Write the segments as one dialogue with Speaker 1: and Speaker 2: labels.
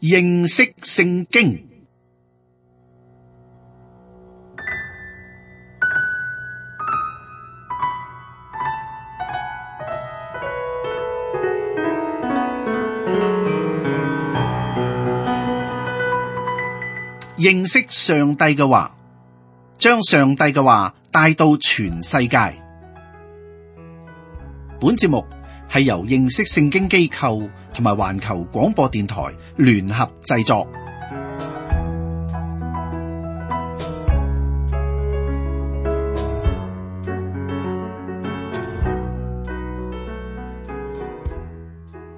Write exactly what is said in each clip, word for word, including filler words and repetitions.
Speaker 1: 認識聖經。認識上帝嘅話，將上帝嘅話帶到全世界。本節目係由認識聖經機構同埋環球廣播電台聯合製作。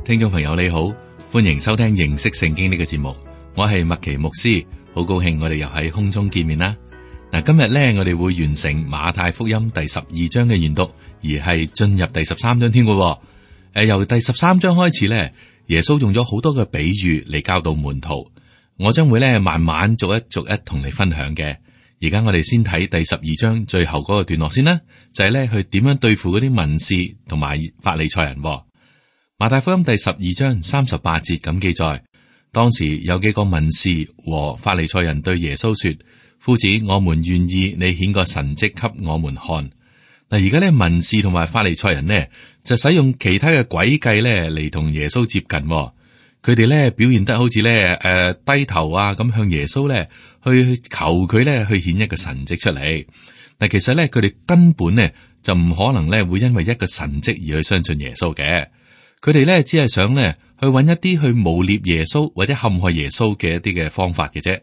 Speaker 2: 聽眾朋友你好，歡迎收聽認識聖經呢個節目，我係麥奇牧師。好高興我哋又喺空中見面啦！嗱，今日咧我哋會完成馬太福音第十二章嘅研讀，而係進入第十三章添嘅。誒，由第十三章開始咧，耶穌用咗好多嘅比喻嚟教導門徒，我將會咧慢慢逐一逐一同你分享嘅。而家我哋先睇第十二章最後嗰個段落先啦，就係咧去點樣對付嗰啲文士同埋法利賽人。馬太福音第十二章三十八節咁記載。當時有幾個文士和法利賽人對耶穌說：夫子，我們願意你顯個神蹟給我們看。嗱，而家咧文士同埋法利賽人呢，就使用其他嘅詭計咧嚟同耶穌接近。佢哋咧表現得好似咧誒低頭啊咁向耶穌咧去求佢咧去顯一個神蹟出嚟。但其實咧佢哋根本呢就唔可能咧會因為一個神蹟而去相信耶穌嘅。佢哋咧只係想咧去揾一啲去誣衊耶穌或者陷害耶穌嘅一啲嘅方法嘅啫。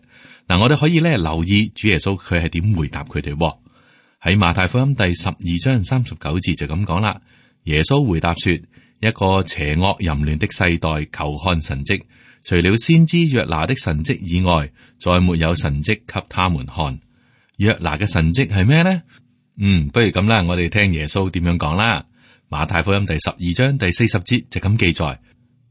Speaker 2: 嗱，我哋可以咧留意主耶穌佢係點回答佢哋。喺馬太福音第十二章三十九節就咁講啦。耶穌回答說：一個邪惡淫亂的世代求看神蹟，除了先知約拿的神蹟以外，再沒有神蹟給他們看。約拿嘅神蹟係咩呢？嗯，不如咁啦，我哋聽耶穌點樣講啦。馬太福音第十二章第四十節就咁記載：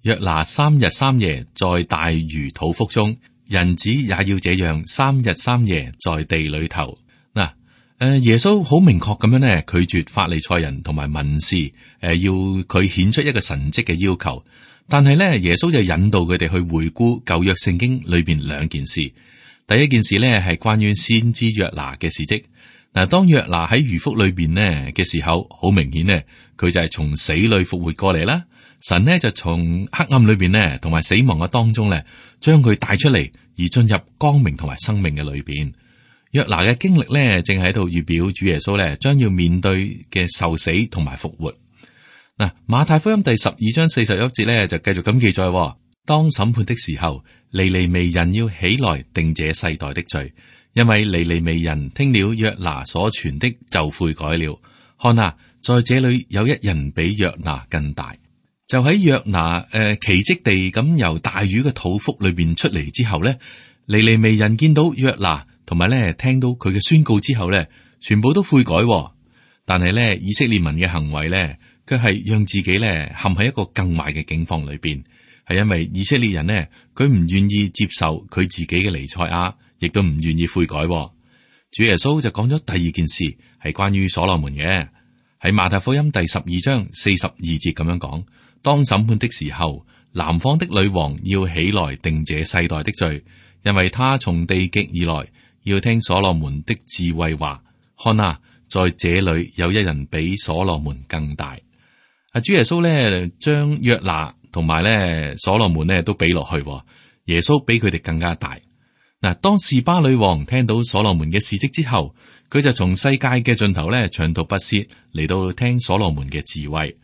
Speaker 2: 約拿三日三夜在大魚肚腹中，人子也要這樣三日三夜在地裏頭。嗱，誒，耶穌好明確咁樣咧拒絕法利賽人同埋文士誒要佢顯出一個神蹟嘅要求，但係咧耶穌就引導佢哋去回顧舊約聖經裏邊兩件事。第一件事咧係關於先知約拿嘅事蹟。嗱，當約拿喺魚腹裏邊呢嘅時候，好明顯呢，佢就係從死裏復活過嚟啦。神呢就從黑暗裏邊呢，同埋死亡嘅當中咧，將佢帶出嚟，而進入光明同埋生命嘅裏邊。約拿嘅經歷咧，正喺度預表主耶穌咧將要面對嘅受死同埋復活。嗱，馬太福音第十二章四十一節咧就繼續咁記載：當審判的時候，尼尼微人要起來定這世代的罪。因為尼尼微人聽了約拿所傳的就悔改了。看啊，在這裏有一人比約拿更大。就喺約拿誒、呃、奇蹟地咁由大魚嘅肚腹裏邊出嚟之後咧，尼尼微人見到約拿同埋咧聽到佢嘅宣告之後咧，全部都悔改。但係咧以色列民嘅行為咧，卻係讓自己咧陷喺一個更壞嘅境況裏邊，係因為以色列人呢，佢唔願意接受佢自己嘅彌賽亞。亦都唔願意悔改。主耶穌就講咗第二件事，係關於所羅門嘅。喺馬太福音第十二章四十二節咁樣講：當審判的時候，南方的女王要起來定這世代的罪，因為他從地極而來，要聽所羅門的智慧話。看啊，在這裏有一人比所羅門更大。啊，主耶穌咧將約拿同埋咧所羅門咧都比落去，耶穌比佢哋更加大。嗱，當示巴女王聽到所羅門嘅事蹟之後，佢就從世界嘅盡頭咧長途跋涉嚟到聽所羅門嘅智慧。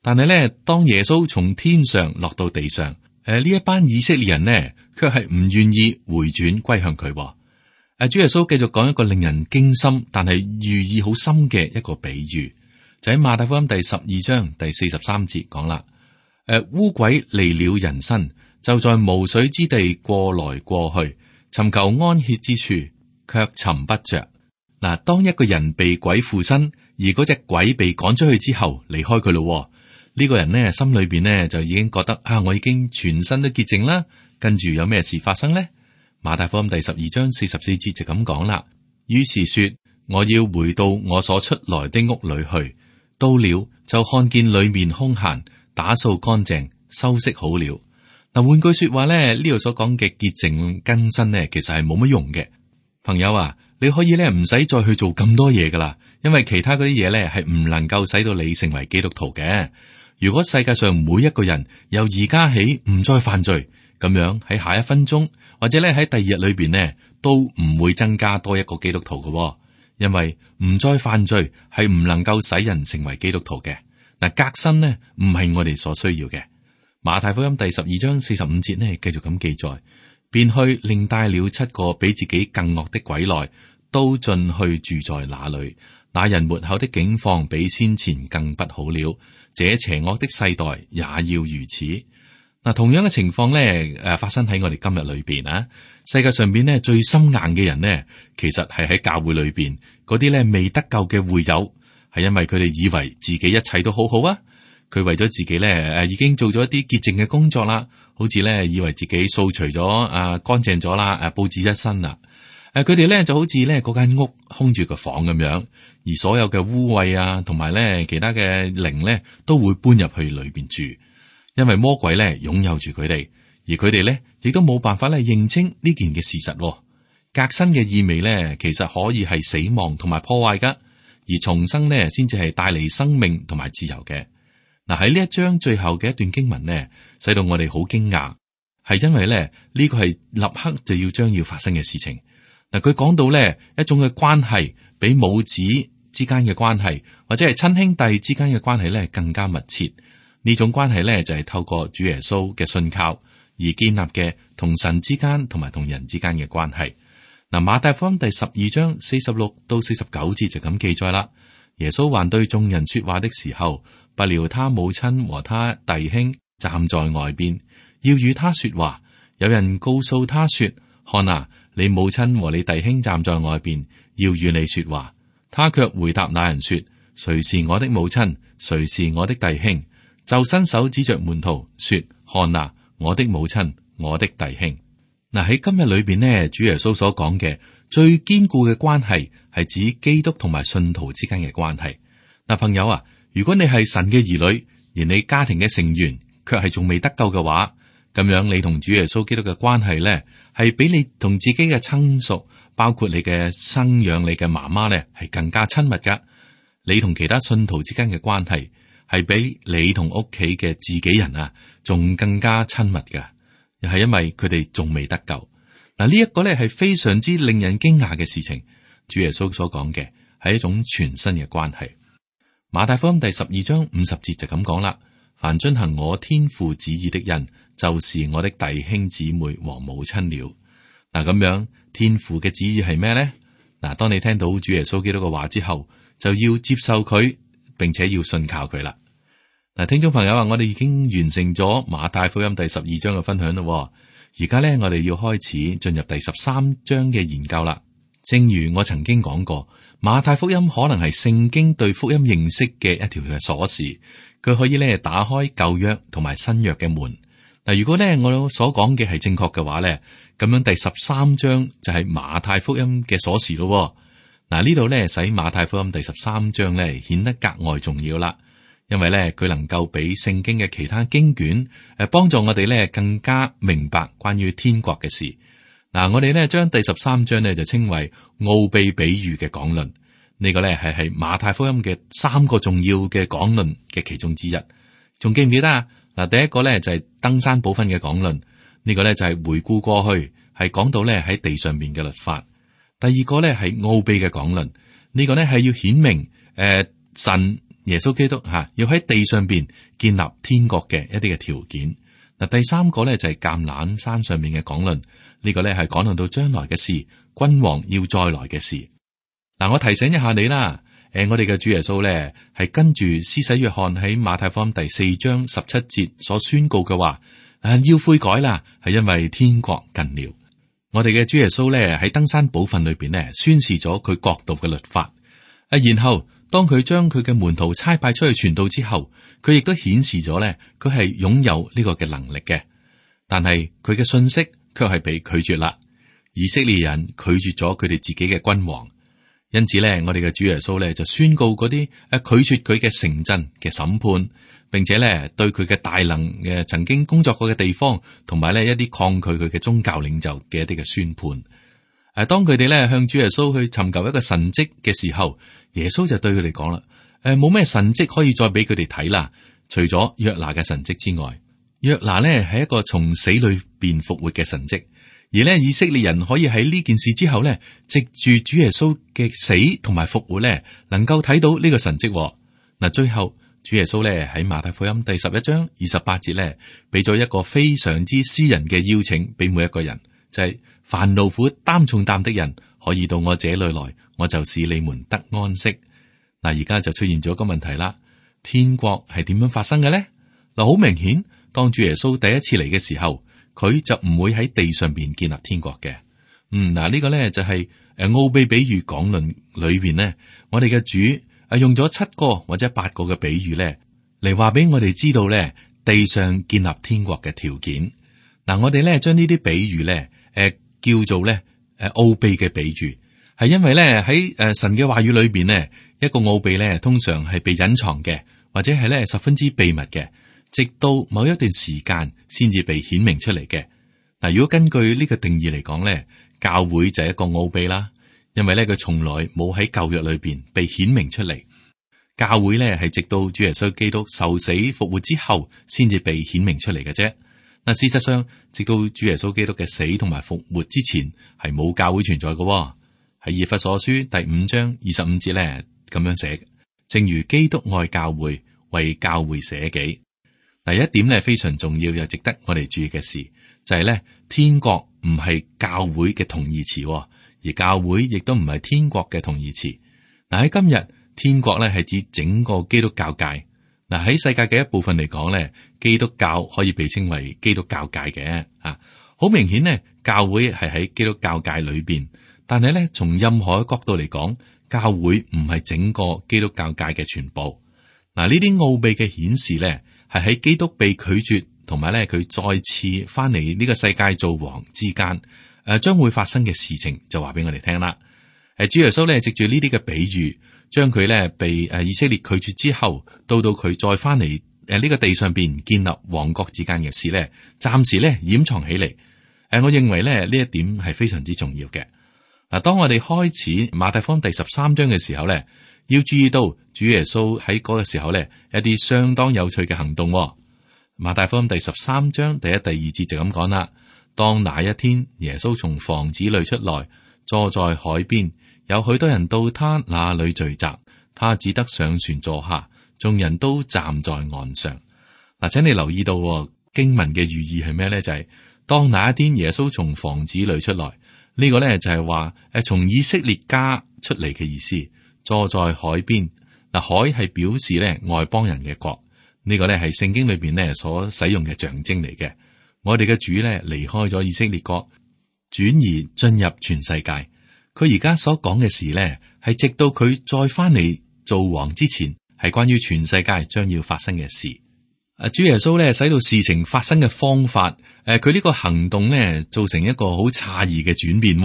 Speaker 2: 但係咧，當耶穌從天上落到地上，誒呢一班以色列人呢，卻係唔願意回轉歸向佢。誒，主耶穌繼續講一個令人驚心，但係寓意好深嘅一個比喻，就喺馬太福音第十二章第四十三節講啦。誒，污鬼離了人身，就在無水之地過來過去，尋求安歇之處，卻尋不着。嗱，當一個人被鬼附身，而嗰隻鬼被趕出去之後，離開佢咯，呢、這個人呢，心裏邊呢，就已經覺得啊，我已經全身都潔淨啦。跟住有咩事發生呢？馬太福音第十二章四十四節就咁講啦。於是說，我要回到我所出來的屋裏去。到了就看見裏面空閒，打掃乾淨，收拾好了。嗱，換句說話咧，呢度所講嘅潔淨更新咧，其實係冇乜用嘅。朋友啊，你可以咧唔使再去做咁多嘢噶啦，因為其他嗰啲嘢咧係唔能夠使到你成為基督徒嘅。如果世界上每一個人由而家起唔再犯罪，咁樣喺下一分鐘或者咧喺第二日裏邊呢，都唔會增加多一個基督徒嘅。因為唔再犯罪係唔能夠使人成為基督徒嘅。嗱，革新呢唔係我哋所需要嘅。馬太福音第十二章四十五節呢，繼續咁記載，便去另帶了七個比自己更惡的鬼來，都進去住在那裏。那人末後的境況比先前更不好了。這邪惡的世代也要如此。嗱，同樣嘅情況咧，誒，發生喺我哋今日裏邊啊。世界上邊咧最心硬嘅人呢，其實係喺教會裏邊嗰啲咧未得救嘅會友，係因為佢哋以為自己一切都好好啊。佢為咗自己咧，誒，已經做咗一啲潔淨嘅工作啦，好似咧以為自己掃除咗啊乾淨咗啦，誒，布置一身啦。誒，佢哋咧就好似咧嗰間屋空住個房咁樣，而所有嘅污穢啊，同埋咧其他嘅靈咧，都會搬入去裏邊住，因為魔鬼咧擁有住佢哋，而佢哋咧亦都冇辦法咧認清呢件嘅事實。革新嘅意味咧，其實可以係死亡同埋破壞噶，而重生咧先至係帶嚟生命同埋自由嘅。嗱，喺呢一章最後嘅一段經文呢，使到我哋好驚訝，係因為咧呢個係立刻就要將要發生嘅事情。嗱，佢講到咧一種嘅關係，比母子之間嘅關係，或者係親兄弟之間嘅關係咧更加密切。呢種關係咧就係透過主耶穌嘅信靠而建立嘅，同神之間同埋同人之間嘅關係。嗱，馬太福音第十二章四十六到四十九節就咁記載啦。耶穌還對眾人說話的時候，不料他母親和他弟兄站在外邊，要與他說話。有人告訴他說：看啊，你母親和你弟兄站在外邊，要與你說話。他卻回答那人說：誰是我的母親？誰是我的弟兄？就伸手指着門徒說：看啊，我的母親，我的弟兄。嗱，喺今日裏邊呢，主耶穌所講嘅最堅固嘅關係係指基督同埋信徒之間嘅關係。嗱，朋友啊，如果你係神嘅兒女，而你家庭嘅成員卻係仲未得救嘅話，咁樣你同主耶穌基督嘅關係咧，係比你同自己嘅親屬，包括你嘅生養你嘅媽媽咧，係更加親密噶。你同其他信徒之間嘅關係，係比你同屋企嘅自己人啊，仲更加親密噶。又係因為佢哋仲未得救。嗱，呢一個咧係非常之令人驚訝嘅事情。主耶穌所講嘅係一種全新嘅關係。馬太福音第十二章五十節就咁講啦：凡遵行我天父旨意的人，就是我的弟兄姊妹和母親了。嗱，咁樣天父嘅旨意係咩咧？嗱，當你聽到主耶穌基督嘅話之後，就要接受佢，並且要信靠佢啦。嗱，聽眾朋友啊，我哋已經完成咗馬太福音第十二章嘅分享咯。而家咧，我哋要開始進入第十三章嘅研究啦。正如我曾經講過，馬太福音可能係聖經對福音認識嘅一條嘅鎖匙，佢可以咧打開舊約同埋新約嘅門。嗱，如果咧我所講嘅係正確嘅話咧，咁樣第十三章就係馬太福音嘅鎖匙咯。嗱，呢度咧使馬太福音第十三章咧顯得格外重要啦。因為咧，佢能夠比聖經嘅其他經卷誒，幫助我哋咧更加明白關於天國嘅事。嗱，我哋咧將第十三章咧就稱為奧秘比喻嘅講論。呢個咧係係馬太福音嘅三個重要嘅講論嘅其中之一。仲記唔記得啊？嗱，第一個咧就係登山寶訓嘅講論。呢個咧就係回顧過去，係講到咧喺地上面嘅律法。第二個咧係奧秘嘅講論。呢個咧係要顯明誒神。耶穌基督吓要喺地上邊建立天國嘅一啲嘅條件。嗱，第三個咧就係橄欖山上面嘅講論，呢個咧係講論到將來嘅事，君王要再來嘅事。嗱，我提醒一下你啦，誒，我哋嘅主耶穌咧係跟住施洗約翰喺馬太福音第四章十七節所宣告嘅話，誒，要悔改啦，係因為天國近了。我哋嘅主耶穌咧喺登山寶訓裏邊咧宣示咗佢國度嘅律法，啊，然後。當佢將佢嘅門徒差派出去傳道之後，佢亦都顯示咗咧，佢係擁有呢個嘅能力嘅。但係佢嘅信息卻係被拒絕啦。以色列人拒絕咗佢哋自己嘅君王，因此咧，我哋嘅主耶穌咧就宣告嗰啲誒拒絕佢嘅城鎮嘅審判，並且咧對佢嘅大能嘅曾經工作過嘅地方，同埋咧一啲抗拒佢嘅宗教領袖嘅一啲嘅宣判。誒、啊，當佢哋咧向主耶穌去尋求一個神蹟嘅時候，耶穌就對佢哋講啦：誒、啊，冇咩神蹟可以再俾佢哋睇啦，除咗約拿嘅神蹟之外。約拿呢係一個從死裏邊復活嘅神蹟，而呢以色列人可以喺呢件事之後呢，藉住主耶穌嘅死同埋復活呢，能夠睇到呢個神蹟。嗱，最後主耶穌呢喺馬太福音第十一章二十八節呢，俾咗一個非常之私人嘅邀請俾每一個人，就係凡勞苦擔重擔的人可以到我這裏來，我就使你們得安息。嗱，而家就出現咗一個問題啦，天國係點樣發生嘅呢？嗱，好明顯。當主耶穌第一次嚟嘅時候，佢就唔會喺地上邊建立天國嘅。嗯，嗱、這、呢個咧就係誒奧秘比喻講論裏邊呢，我哋嘅主啊用咗七個或者八個嘅比喻咧嚟話俾我哋知道咧地上建立天國嘅條件。嗱，我哋咧將呢啲比喻咧誒叫做咧誒奧秘嘅比喻，係因為咧喺誒神嘅話語裏邊呢，一個奧秘咧通常係被隱藏嘅，或者係咧十分之秘密嘅。直到某一段時間先至被顯明出嚟嘅。嗱，如果根據呢個定義嚟講咧，教會就係一個奧秘啦，因為咧佢從來冇喺舊約裏邊被顯明出嚟。教會咧係直到主耶穌基督受死復活之後，先至被顯明出嚟嘅啫。嗱，事實上，直到主耶穌基督嘅死同埋復活之前，係冇教會存在嘅。喺以弗所書第五章二十五節咧咁樣寫：正如基督愛教會，為教會捨己。第一點咧非常重要又值得我哋注意嘅事，就係咧天國唔係教會嘅同義詞，而教會亦都唔係天國嘅同義詞。嗱，喺今日，天國咧係指整個基督教界。嗱，喺世界嘅一部分嚟講咧，基督教可以被稱為基督教界嘅啊。好明顯呢，教會係喺基督教界裏邊，但係咧從任何角度嚟講，教會唔係整個基督教界嘅全部。嗱，呢啲奧秘嘅顯示咧，係喺基督被拒絕，同埋咧佢再次翻嚟呢個世界做王之間，誒、呃、將會發生嘅事情就話俾我哋聽啦。誒、呃，主耶穌咧藉住呢啲嘅比喻，將佢咧被誒以色列拒絕之後，到到佢再翻嚟誒呢個地上邊建立王國之間嘅事咧，暫時咧掩藏起嚟。誒、呃，我認為咧呢一點係非常之重要嘅。嗱、呃，當我哋開始馬太福音第十三章嘅時候咧，要注意到主耶穌喺嗰個時候咧，一啲相當有趣嘅行動。馬太福音第十三章第一、第二節就咁講啦。當那一天，耶穌從房子裏出來，坐在海邊，有許多人到他那裏聚集，他只得上船坐下，眾人都站在岸上。嗱，請你留意到經文嘅寓意係咩咧？就係、是、當那一天耶穌從房子裏出來，呢、這個咧就係話誒從以色列家出嚟嘅意思。坐在海邊，嗱，海係表示咧外邦人嘅國，呢個咧係聖經裏邊咧所使用嘅象徵嚟嘅。我哋嘅主咧離開咗以色列國，轉移進入全世界。佢而家所講嘅事咧，係直到佢再翻嚟做王之前，係關於全世界將要發生嘅事。啊，主耶穌咧使到事情發生嘅方法，誒，佢呢個行動咧造成一個好詫異嘅轉變。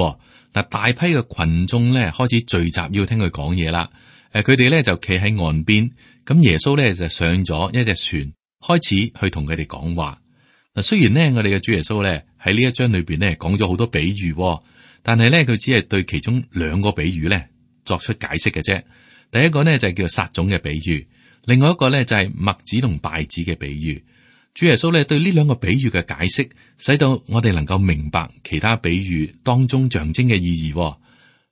Speaker 2: 嗱，大批嘅群眾咧開始聚集要聽佢講嘢啦。誒，佢哋咧就企喺岸邊，咁耶穌咧就上咗一隻船，開始去同佢哋講話。嗱，雖然呢，我哋嘅主耶穌咧喺呢一章裏邊咧講咗好多比喻，但係咧佢只係對其中兩個比喻咧作出解釋嘅啫。第一個呢，就係叫撒種嘅比喻，另外一個咧就係麥子同稗子嘅比喻。主耶穌咧對呢兩個比喻嘅解釋，使到我哋能夠明白其他比喻當中象徵嘅意義。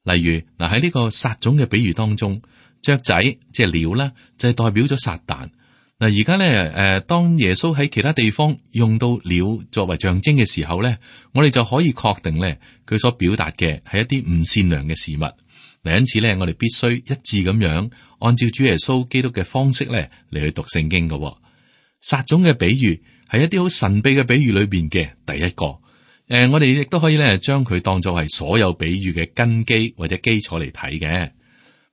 Speaker 2: 例如嗱，喺呢個撒種嘅比喻當中，雀仔即係鳥啦，就係代表咗撒旦。嗱，而家咧誒，當耶穌喺其他地方用到鳥作為象徵嘅時候咧，我哋就可以確定咧，佢所表達嘅係一啲唔善良嘅事物。嗱，因此咧，我哋必須一致咁樣按照主耶穌基督嘅方式咧嚟去讀聖經嘅。撒種嘅比喻係一啲好神秘嘅比喻裏邊嘅第一個，誒、呃，我哋亦都可以咧將佢當作係所有比喻嘅根基或者基礎嚟睇嘅。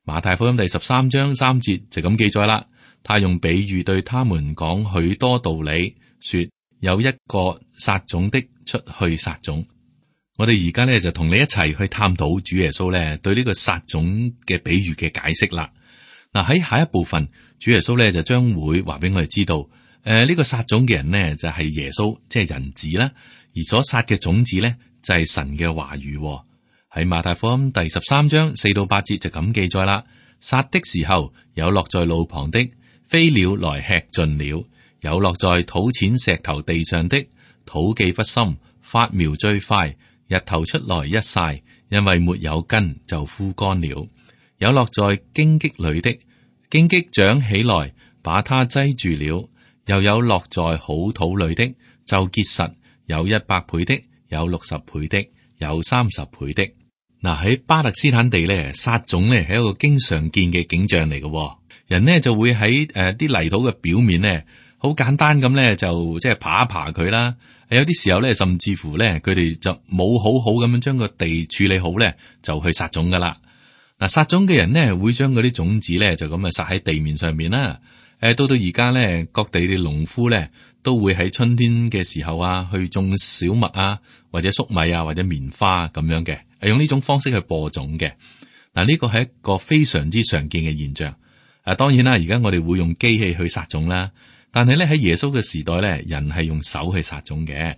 Speaker 2: 馬太福音第十三章三節就咁記載啦，他用比喻對他們講許多道理，說有一個撒種的出去撒種。我哋而家咧就同你一齊去探討主耶穌咧對呢個撒種嘅比喻嘅解釋啦。嗱，喺下一部分，主耶穌咧就將會話俾我哋知道，誒、呃、呢、這個撒種嘅人呢，就係、是、耶穌，即係人子啦。而所撒嘅種子咧就係、是、神嘅話語。喺馬太福音第十三章四到八節就咁記載啦。撒的時候，有落在路旁的，飛鳥來吃盡了；有落在土淺石頭地上的，土既不深，發苗最快，日頭出來一曬，因為沒有根就枯乾了；有落在荊棘裏的，荊棘長起來把它擠住了；又有落在好土裏的，就結實，有一百倍的，有六十倍的，有三十倍的。嗱，喺巴勒斯坦地咧，撒種咧係一個經常見嘅景象嚟嘅。人呢就會喺誒啲泥土嘅表面咧，好簡單咁咧就即係爬一爬佢啦。有啲時候咧，甚至乎咧，佢哋就冇好好咁樣將個地處理好咧，就去撒種噶啦。嗱，撒種嘅人呢會將嗰啲種子咧就咁啊撒喺地面上面啦。誒，到到而家咧，各地嘅農夫咧都會喺春天嘅時候啊，去種小麥啊，或者粟米啊，或者棉花咁樣嘅。係用呢種方式去播種嘅。嗱，呢個係一個非常之常見嘅現象。啊，當然啦，而家我哋會用機器去撒種啦，但係咧喺耶穌嘅時代咧，人係用手去撒種嘅。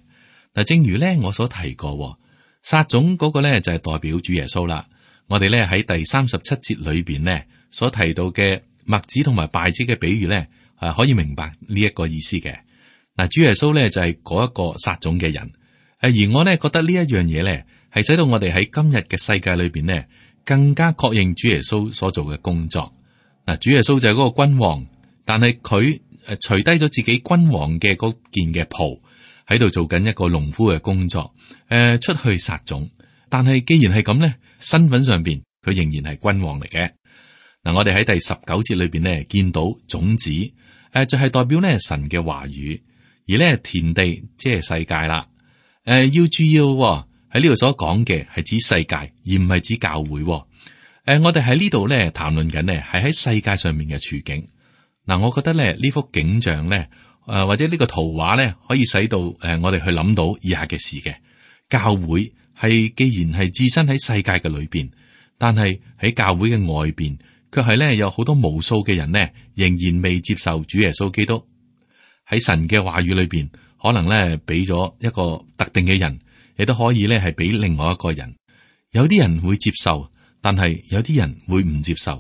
Speaker 2: 嗱，正如咧我所提過，撒種嗰個咧就係代表主耶穌啦。我哋咧喺第三十七節裏邊咧所提到嘅麥子同埋稗子嘅比喻咧，係可以明白呢一個意思嘅。嗱，主耶穌咧就係嗰一個撒種嘅人。誒，而我咧覺得呢一樣嘢咧，係使到我哋喺今日嘅世界裏邊呢，更加確認主耶穌所做嘅工作。嗱，主耶穌就係嗰個君王，但係佢誒除低咗自己君王嘅嗰件嘅袍，喺度做緊一個農夫嘅工作，誒出去撒種。但係既然係咁呢，身份上邊佢仍然係君王嚟嘅。嗱，我哋喺第十九節裏邊呢，見到種子，誒就係代表呢神嘅話語，而呢田地即係世界啦。誒要注意喎。喺呢度所講嘅係指世界，而唔係指教會。誒、呃，我哋喺呢度咧談論緊呢，係喺世界上面嘅處境。嗱、呃，我覺得咧呢幅景象咧，誒、呃、或者呢個圖畫咧，可以使到誒、呃、我哋去諗到以下嘅事嘅。教會係既然係置身喺世界嘅裏邊，但係喺教會嘅外邊，卻係咧有好多無數嘅人呢，仍然未接受主耶穌基督。喺神嘅話語裏邊，可能咧俾咗一個特定嘅人。你都可以咧，係俾另外一個人。有啲人會接受，但係有啲人會唔接受。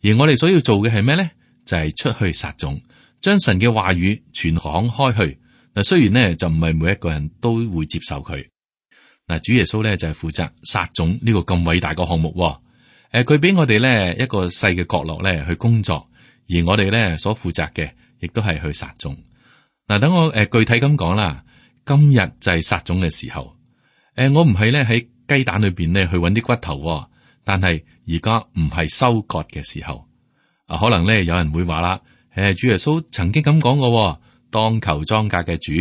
Speaker 2: 而我哋所要做嘅係咩咧？就係、是、出去撒種，將神嘅話語傳講開去。嗱，雖然呢，就唔係每一個人都會接受佢。嗱，主耶穌咧就係負責撒種呢個咁偉大嘅項目。誒，佢俾我哋咧一個細嘅角落咧去工作，而我哋咧所負責嘅亦都係去撒種。嗱，等我誒具體咁講啦。今日就係撒種嘅時候。誒、呃，我唔係咧喺雞蛋裏邊咧去揾啲骨頭、哦，但係而家唔係收割嘅時候。啊，可能咧有人會話啦，誒，主耶穌曾經咁講過，當求莊稼嘅主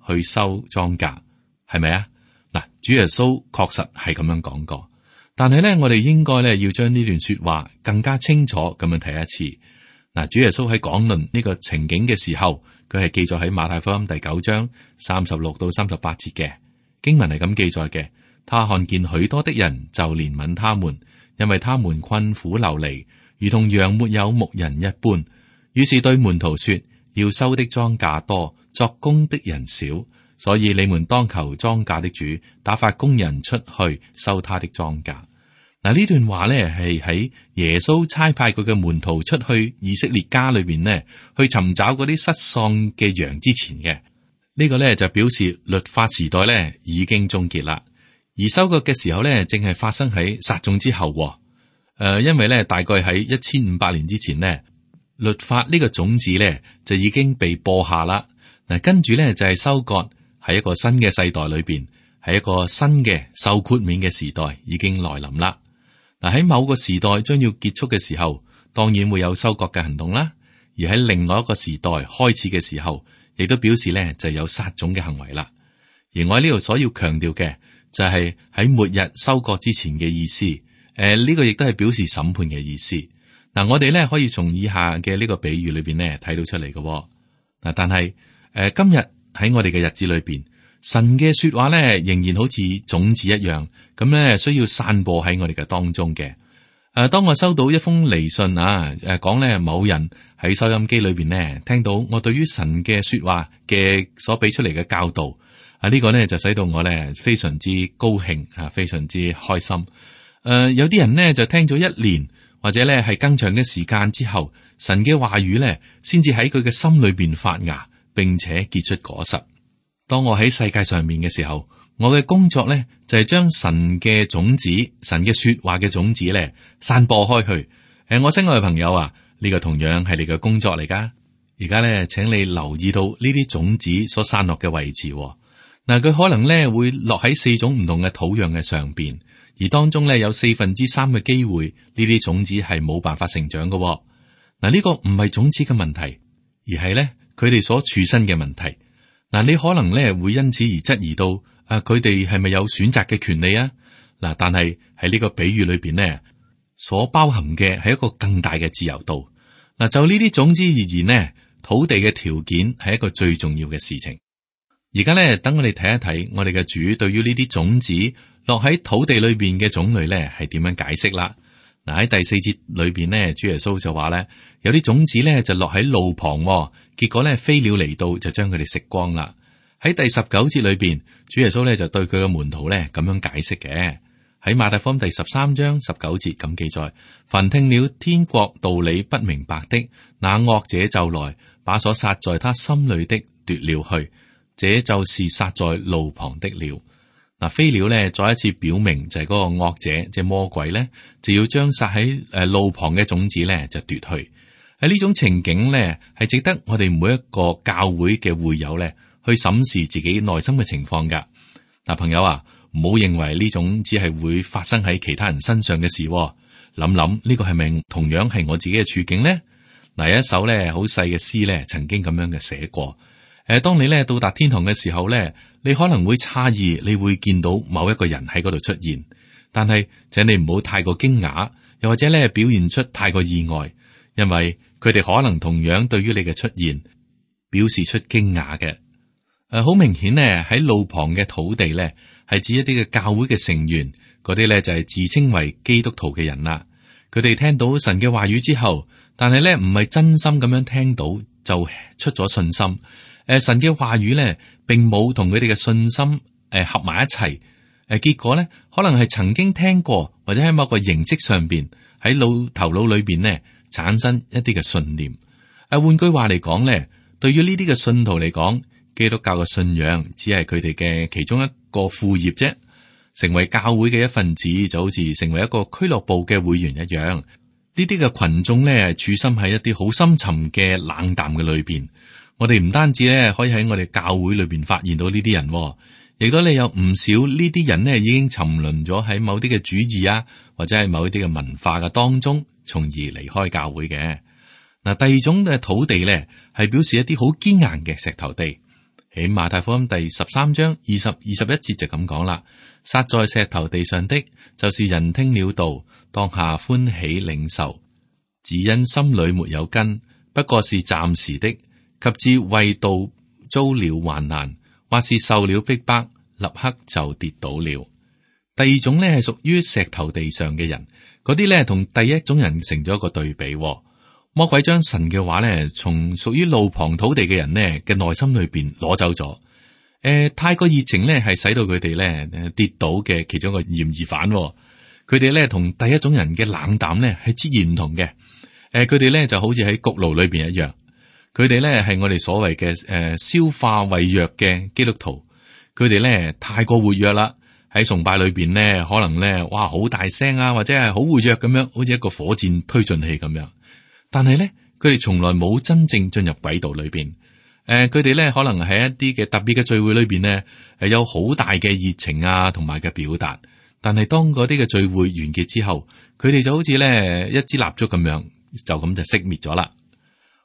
Speaker 2: 去收莊稼，係咪啊？嗱，主耶穌確實係咁樣講過，但係咧我哋應該咧要將呢段說話更加清楚咁樣睇一次。嗱，主耶穌喺講論呢個情景嘅時候，佢係記載喺馬太福音第九章三十六到三十八節嘅。經文係咁記載嘅，他看見許多的人就憐憫他們，因為他們困苦流離，如同羊沒有牧人一般。於是對門徒說：要收的莊稼多，作工的人少，所以你們當求莊稼的主打發工人出去收他的莊稼。嗱，呢段話咧係喺耶穌差派佢嘅門徒出去以色列家裏邊呢，去尋找嗰啲失喪嘅羊之前嘅。呢個咧就表示律法時代咧已經終結啦，而收割嘅時候咧正係發生喺撒種之後。誒、呃，因為咧大概喺一千五百年之前呢，律法呢個種子咧就已經被播下啦。嗱，跟住咧就係收割，喺一個新嘅世代裏邊，係一個新嘅受豁免嘅時代已經來臨啦。嗱，喺某個時代將要結束嘅時候，當然會有收割嘅行動啦。而喺另外一個時代開始嘅時候，亦都表示咧就有撒種嘅行為啦。而我喺呢度所要強調嘅就係喺末日收割之前嘅意思。誒、呃，呢、這個亦都係表示審判嘅意思。嗱、呃，我哋咧可以從以下嘅呢個比喻裏邊咧睇到出嚟嘅。嗱、呃，但係誒、呃、今日喺我哋嘅日子裏邊，神嘅說話咧仍然好似種子一樣，咁咧需要散播喺我哋嘅當中嘅。誒、誒，當我收到一封嚟信啊，誒講咧某人喺收音機裏邊呢聽到我對於神嘅說話嘅所俾出嚟嘅教導，啊、這、呢個呢就使到我咧非常之高興啊，非常之開心。誒、呃，有啲人呢就聽咗一年或者咧係更長嘅時間之後，神嘅話語咧先至喺佢嘅心裏邊發芽，並且結出果實。當我喺世界上面嘅時候，我嘅工作咧就係將神嘅種子、神嘅說話嘅種子咧散播開去。誒，我親愛嘅朋友啊，呢個同樣係你嘅工作嚟噶。而家咧，請你留意到呢啲種子所散落嘅位置。嗱，佢可能咧會落喺四種唔同嘅土壤嘅上邊，而當中咧有四分之三嘅機會，呢啲種子係冇辦法成長嘅。嗱，呢個唔係種子嘅問題，而係咧佢哋所處身嘅問題。嗱，你可能咧會因此而質疑到。啊！佢哋係咪有選擇嘅權利啊？嗱，但係喺呢個比喻裏邊呢，所包含嘅係一個更大嘅自由度。嗱，就呢啲種子而言呢，土地嘅條件係一個最重要嘅事情。而家咧，等我哋睇一睇我哋嘅主對於呢啲種子落喺土地裏邊嘅種類咧係點樣解釋啦。嗱，喺第四節裏邊呢，主耶穌就話咧，有啲種子咧就落喺路旁，結果咧飛鳥嚟到就將佢哋食光啦。喺第十九節裏邊，主耶穌咧就對佢嘅門徒咧咁樣解釋嘅。喺馬太福音第十三章十九節咁記載：凡聽了天國道理不明白的，那惡者就來把所撒在他心裏的奪了去，這就是撒在路旁的了。嗱，飛鳥咧再一次表明就係嗰個惡者，即係魔鬼咧，就要將撒喺誒路旁嘅種子咧就奪去。喺呢種情景咧，係值得我哋每一個教會嘅會友咧。去審視自己內心嘅情況噶。嗱，朋友啊，唔好認為呢種只係會發生喺其他人身上嘅事。諗諗呢個係咪同樣係我自己嘅處境呢？嗱，有一首咧好細嘅詩咧，曾經咁樣嘅寫過。誒，當你咧到達天堂嘅時候咧，你可能會詫異，你會見到某一個人喺嗰度出現，但係請你唔好太過驚訝，又或者咧表現出太過意外，因為佢哋可能同樣對於你嘅出現表示出驚訝嘅。誒，好明顯咧，喺路旁嘅土地咧，係指一啲嘅教會嘅成員，嗰啲咧就係自稱為基督徒嘅人啦。佢哋聽到神嘅話語之後，但係咧唔係真心咁樣聽到，就出咗信心。誒，神嘅話語咧，並冇同佢哋嘅信心誒合埋一齊。誒，結果咧，可能係曾經聽過，或者喺某個形式上邊喺腦頭腦裏邊咧產生一啲嘅信念。誒，換句話嚟講咧，對於呢啲嘅信徒嚟講，基督教嘅信仰只係佢哋嘅其中一個副業啫，成為教會嘅一份子就好似成為一個俱樂部嘅會員一樣。呢啲嘅群眾咧，處心喺一啲好深沉嘅冷淡嘅裏邊。我哋唔單止咧可以喺我哋教會裏邊發現到呢啲人，亦都你有唔少呢啲人咧已經沉淪咗喺某啲嘅主義啊，或者係某一啲嘅文化嘅當中，從而離開教會嘅。嗱，第二種嘅土地咧，係表示一啲好堅硬嘅石頭地。喺馬太福音第十三章二十二十一節就咁講啦，撒在石頭地上的，就是人聽了道，當下歡喜領受，只因心裏沒有根，不過是暫時的，及至為道遭了患難，或是受了逼迫，立刻就跌倒了。第二種呢係屬於石頭地上嘅人，嗰啲呢同第一種人成咗一個對比。魔鬼將神嘅話咧，從屬於路旁土地嘅人呢嘅內心裏邊攞走咗。誒、呃，太過熱情咧，係使到佢哋咧跌倒嘅其中一個嫌疑犯。佢哋咧同第一種人嘅冷淡咧係截然唔同嘅。誒、呃，佢哋咧就好似喺焗爐裏邊一樣。佢哋咧係我哋所謂嘅誒消化胃藥嘅基督徒。佢哋咧太過活躍啦，喺崇拜裏邊咧可能咧哇好大聲啊，或者係好活躍咁樣，好似一個火箭推進器咁樣。但係咧，佢哋從來冇真正進入軌道裏邊。誒、呃，佢哋咧可能喺一啲嘅特別嘅聚會裏邊咧，係有好大嘅熱情啊，同埋嘅表達。但係當嗰啲嘅聚會完結之後，佢哋就好似咧一支蠟燭咁樣，就咁就熄滅咗啦。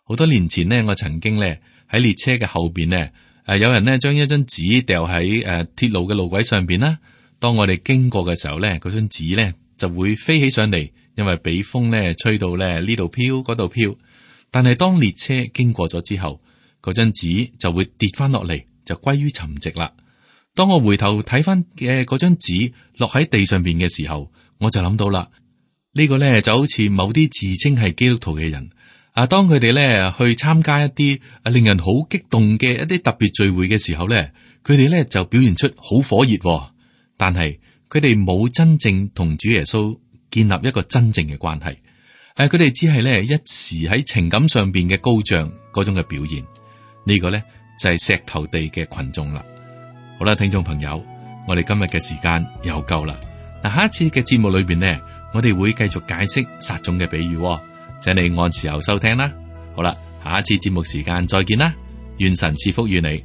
Speaker 2: 好多年前呢，我曾經咧喺列車嘅後邊咧，誒、呃，有人咧將一張紙掉喺誒鐵路嘅路軌上邊啦。當我哋經過嘅時候咧，嗰張紙咧就會飛起上嚟。因為俾風咧吹到咧呢度飄嗰度飄，但係當列車經過咗之後，嗰張紙就會跌翻落嚟，就歸於沉寂啦。當我回頭睇翻嘅嗰張紙落喺地上邊嘅時候，我就諗到啦，呢個咧就好似某啲自稱係基督徒嘅人啊，當佢哋咧去參加一啲啊令人好激動嘅一啲特別聚會嘅時候咧，佢哋咧就表現出好火熱，但係佢哋冇真正同主耶穌建立一個真正嘅關係。誒，佢哋只係咧一時喺情感上邊嘅高漲嗰種嘅表現。呢個咧就係石頭地嘅群眾啦。好啦，聽眾朋友，我哋今日嘅時間又夠啦。嗱，下一次嘅節目裏邊呢，我哋會繼續解釋撒種嘅比喻，請你按時候收聽啦。好啦，下一次節目時間再見啦，願神賜福與你。